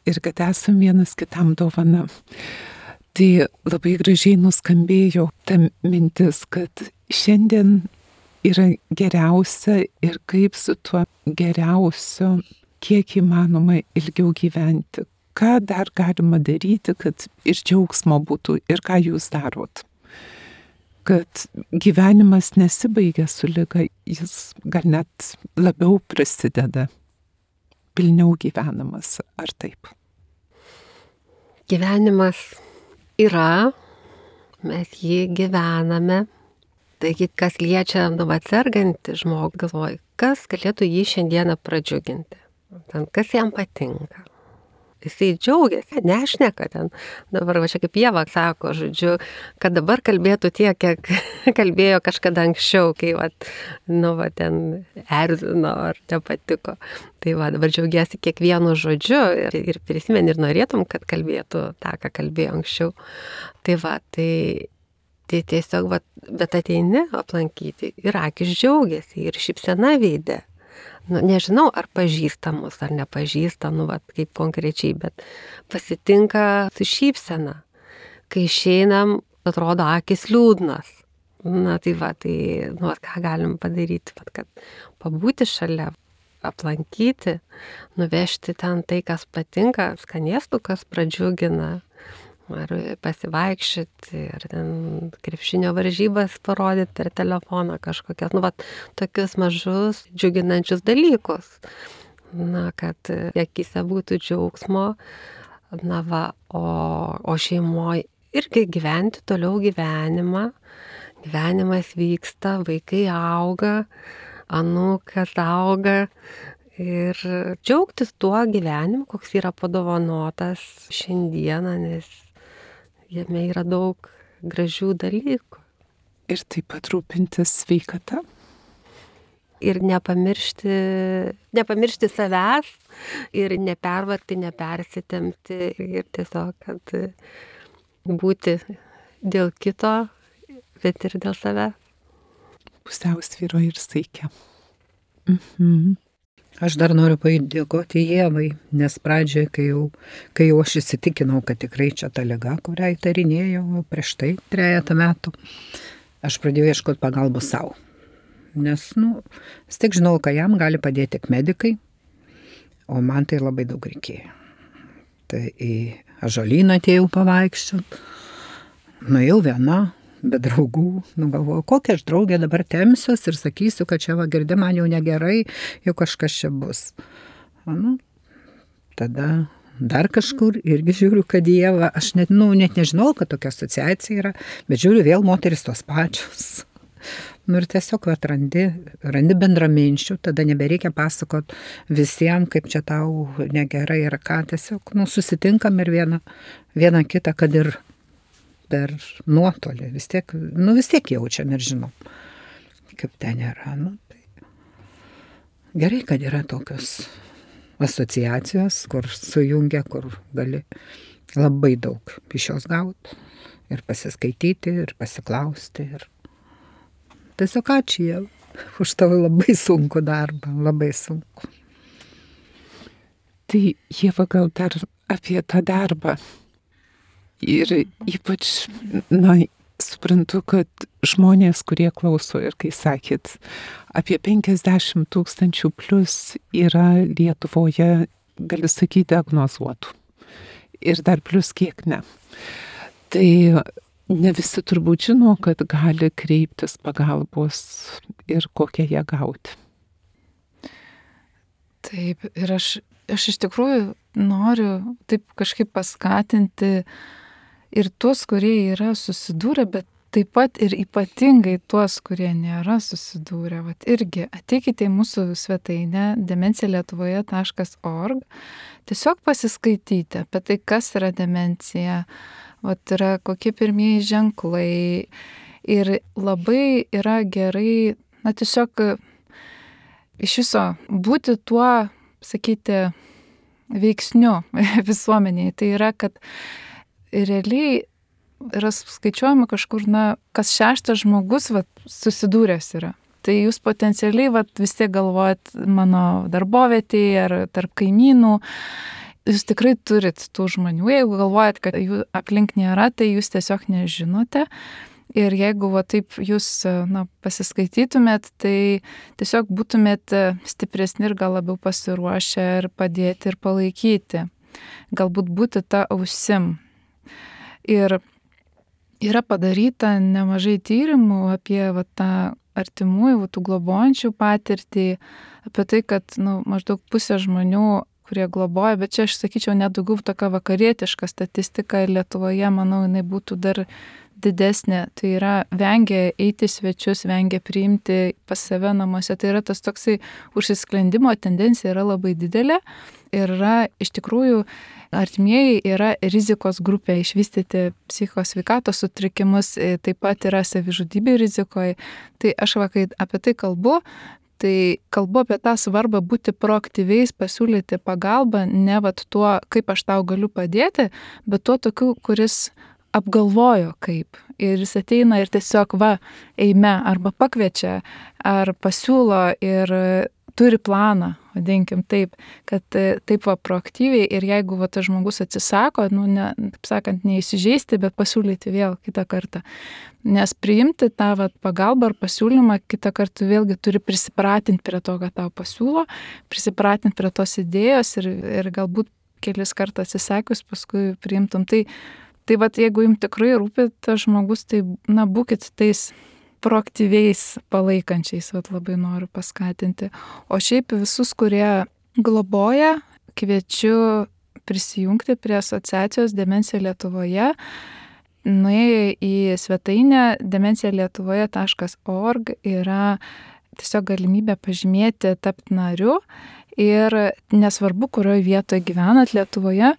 [SPEAKER 1] Ir kad esam vienas kitam dovana. Tai labai gražiai nuskambėjo ta mintis, kad šiandien yra geriausia ir kaip su tuo geriausiu, kiek įmanoma ilgiau gyventi. Ką dar galima daryti, kad ir džiaugsmo būtų, ir ką jūs darot? Kad gyvenimas nesibaigia su liga, jis gal net labiau prasideda, pilniau gyvenamas, ar taip?
[SPEAKER 4] Gyvenimas yra, mes jį gyvename. Taigi, kas liečia sergantį žmogų, galvoju, kas galėtų jį šiandieną pradžiuginti, kas jam patinka. Jisai džiaugiasi, nešneka ten. Dabar čia kaip Ieva sako, žodžiu, kad dabar kalbėtų tiek, kiek kalbėjo kažkada anksčiau, kai ten erzino ar nepatiko. Tai dabar džiaugiasi kiekvienu žodžiu ir prisimeni ir norėtum, kad kalbėtų tą, ką kalbėjo anksčiau. Tai tiesiog, bet ateini aplankyti ir akis džiaugiasi ir šypsena veide. Nežinau, ar pažįstamus, ar nepažįstam, kaip konkrečiai, bet pasitinka su šypsena. Kai išeinam, atrodo akis liūdnas. Na tai va, ką galim padaryti, kad pabūti šalia, aplankyti, nuvežti ten tai, kas patinka, skanėstų, kas pradžiugina, ar pasivaikščioti, ar ten krepšinio varžybas parodyti per telefoną kažkokias, tokius mažus džiuginančius dalykus. Kad akise būtų džiaugsmo, o šeimoje irgi gyventi toliau gyvenimą. Gyvenimas vyksta, vaikai auga, anūkas auga ir džiaugtis tuo gyvenimu, koks yra padovanotas šiandieną, nes jame yra daug gražių dalykų.
[SPEAKER 1] Ir taip pat rūpintis sveikata.
[SPEAKER 4] Ir nepamiršti savęs ir nepervargti, nepersitempti ir tiesiog, kad būti dėl kito, bet ir dėl savęs.
[SPEAKER 1] Pusiausvyro ir saikia.
[SPEAKER 3] Aš dar noriu padėkoti Ievai, nes pradžioje, kai jau aš įsitikinau, kad tikrai čia ta liga, kurią įtarinėjau prieš tai 3 metų, aš pradėjau ieškoti pagalbos savo. Nes, vis tiek žinau, kad jam gali padėti tik medikai, o man tai labai daug reikėjo. Tai į Ąžuolyną atėjau pavaikščioti, nuėjau viena, be draugų, galvoju, kokią aš draugę dabar temsiuos ir sakysiu, kad čia girdi man jau negerai, jau kažkas čia bus. Tada dar kažkur irgi žiūriu, kad Ieva, aš net nežinau, kad tokia asociacija yra, bet žiūriu vėl moteris tos pačios. Ir tiesiog randi bendraminčių, tada nebereikia pasakot visiems, kaip čia tau negerai ir ką, tiesiog susitinkam ir vieną kitą, kad ir per nuotolį, vis tiek jaučiam ir žinom, kaip ten yra. Gerai, kad yra tokios asociacijos, kur sujungia, kur gali labai daug iš jos gauti ir pasiskaityti, ir pasiklausti. Ir tiesiog ačiū jau už tavo labai sunku darbą, labai sunku.
[SPEAKER 1] Tai Ieva, gal dar apie tą darbą. Ir ypač, suprantu, kad žmonės, kurie klauso ir kai sakėt, apie 50 000 plus yra Lietuvoje, galiu sakyti, diagnozuotų. Ir dar plus kiek ne. Tai ne visi turbūt žino, kad gali kreiptis pagalbos ir kokią ją gauti.
[SPEAKER 2] Taip, ir aš iš tikrųjų noriu taip kažkaip paskatinti ir tuos, kurie yra susidūrę, bet taip pat ir ypatingai tuos, kurie nėra susidūrę. Irgi ateikite į mūsų svetainę demencija.lietuvoje.org, tiesiog pasiskaityti apie tai, kas yra demencija, yra kokie pirmieji ženklai. Ir labai yra gerai, tiesiog iš viso būti tuo, sakyti, veiksniu visuomeniai. Tai yra, kad realiai yra skaičiuojama kažkur, kas 6 žmogus susidūręs yra. Tai jūs potencialiai vis tiek galvojat mano darbovietėje ar tarp kaimynų. Jūs tikrai turit tų žmonių. Jeigu galvojat, kad jų aplink nėra, tai jūs tiesiog nežinote. Ir jeigu taip jūs pasiskaitytumėt, tai tiesiog būtumėt stipresni ir gal labiau pasiruošę ir padėti ir palaikyti. Galbūt būti ta ausim. Ir yra padaryta nemažai tyrimų apie tą artimųjų, tų globojančių patirtį, apie tai, kad maždaug pusė žmonių, kurie globoja, bet čia aš sakyčiau nedaugiau tokia vakarietiška statistika ir Lietuvoje, manau, jinai būtų dar didesnė. Tai yra vengia eiti svečius, vengia priimti pas save namuose. Tai yra tas toksai užsisklendimo tendencija yra labai didelė ir yra iš tikrųjų artimieji yra rizikos grupė išvystyti psichosveikatos sutrikimus, taip pat yra savižudybė rizikoje. Tai aš kai apie tai kalbu apie tą svarbą būti proaktyviais, pasiūlyti pagalbą, ne tuo, kaip aš tau galiu padėti, bet tuo tokiu, kuris apgalvojo kaip. Ir jis ateina ir tiesiog eime arba pakviečia, ar pasiūlo ir turi planą, vadinkim taip, kad taip proaktyviai ir jeigu tas žmogus atsisako, taip sakant, neįsižeisti, bet pasiūlyti vėl kitą kartą. Nes priimti tą pagalbą ar pasiūlymą kitą kartą vėlgi turi prisipratinti prie to, kad tau pasiūlo, prisipratinti prie tos idėjos ir galbūt kelis kartus atsisakius paskui priimtum. Tai jeigu jums tikrai rūpi tas žmogus, tai būkit tais proaktyviais palaikančiais, labai noriu paskatinti. O šiaip visus, kurie globoja, kviečiu prisijungti prie asociacijos Demencija Lietuvoje. Nuėję į svetainę demencijalietuvoje.org yra tiesiog galimybė pažymėti tapti nariu. Ir nesvarbu, kurioje vietoje gyvenat Lietuvoje,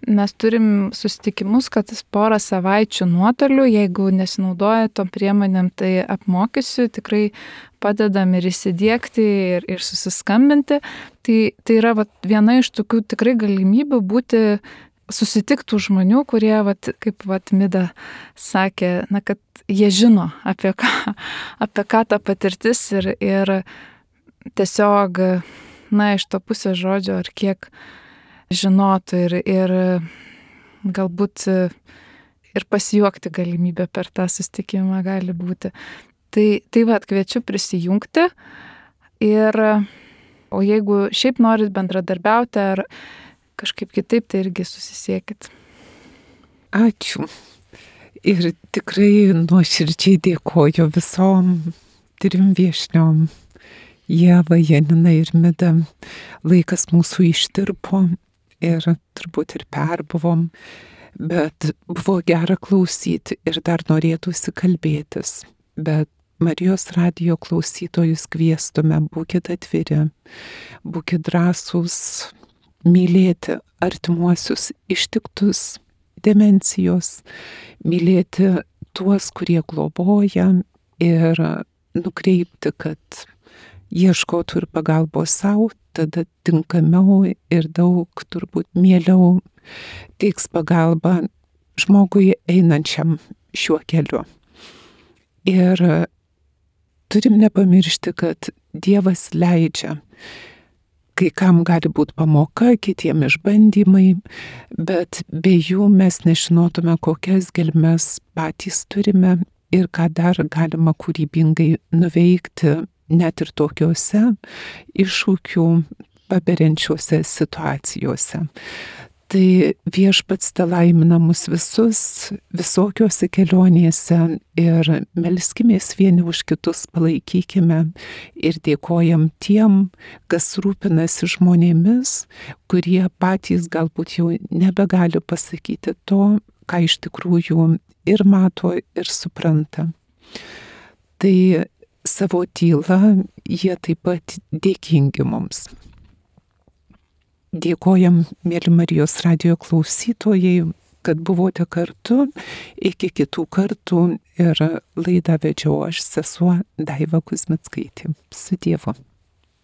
[SPEAKER 2] mes turim susitikimus, kad porą savaičių nuotoliu, jeigu nesinaudoja tom priemonėm, tai apmokysiu, tikrai padedam ir įsidiegti, ir susiskambinti. Tai yra viena iš tokių tikrai galimybių susitiktų žmonių, kurie, kaip Mida sakė, kad jie žino, apie ką ta patirtis ir tiesiog iš to pusės žodžio, ar kiek žinotų ir galbūt ir pasijuokti galimybę per tą susitikimą gali būti. Tai kviečiu prisijungti o jeigu šiaip norit bendradarbiauti ar kažkaip kitaip, tai irgi susisiekit.
[SPEAKER 1] Ačiū. Ir tikrai nuoširdžiai dėkoju visom 3 viešniom. Ieva, Janina ir Mida. Laikas mūsų ištirpo ir turbūt ir perbuvom, bet buvo gera klausyti ir dar norėtųsi kalbėtis. Bet Marijos radijo klausytojus kviestume, būkit atviri, būkit drąsūs, mylėti artimuosius ištiktus demencijos, mylėti tuos, kurie globoja ir nukreipti, kad ieškotų ir pagalbos savo, tada tinkamiau ir daug turbūt mieliau teiks pagalbą žmogui einančiam šiuo keliu. Ir turim nepamiršti, kad Dievas leidžia. Kai kam gali būti pamoka, kitiem išbandymai, bet be jų mes nežinotume, kokias gelmes patys turime ir ką dar galima kūrybingai nuveikti, net ir tokiuose iššūkių paberiančiuose situacijose. Tai Viešpats telaimina mus visus visokiuose kelionėse ir melskimės vieni už kitus, palaikykime ir dėkojam tiem, kas rūpinasi žmonėmis, kurie patys galbūt jau nebegali pasakyti to, ką iš tikrųjų ir mato, ir supranta. Tai savo tylą jie taip pat dėkingi mums. Dėkojam, mėly Marijos radijo klausytojai, kad buvote kartu. Iki kitų kartų ir laidą vedžiau aš, sesuo Daiva Kuzmickaitė. Su Dievu.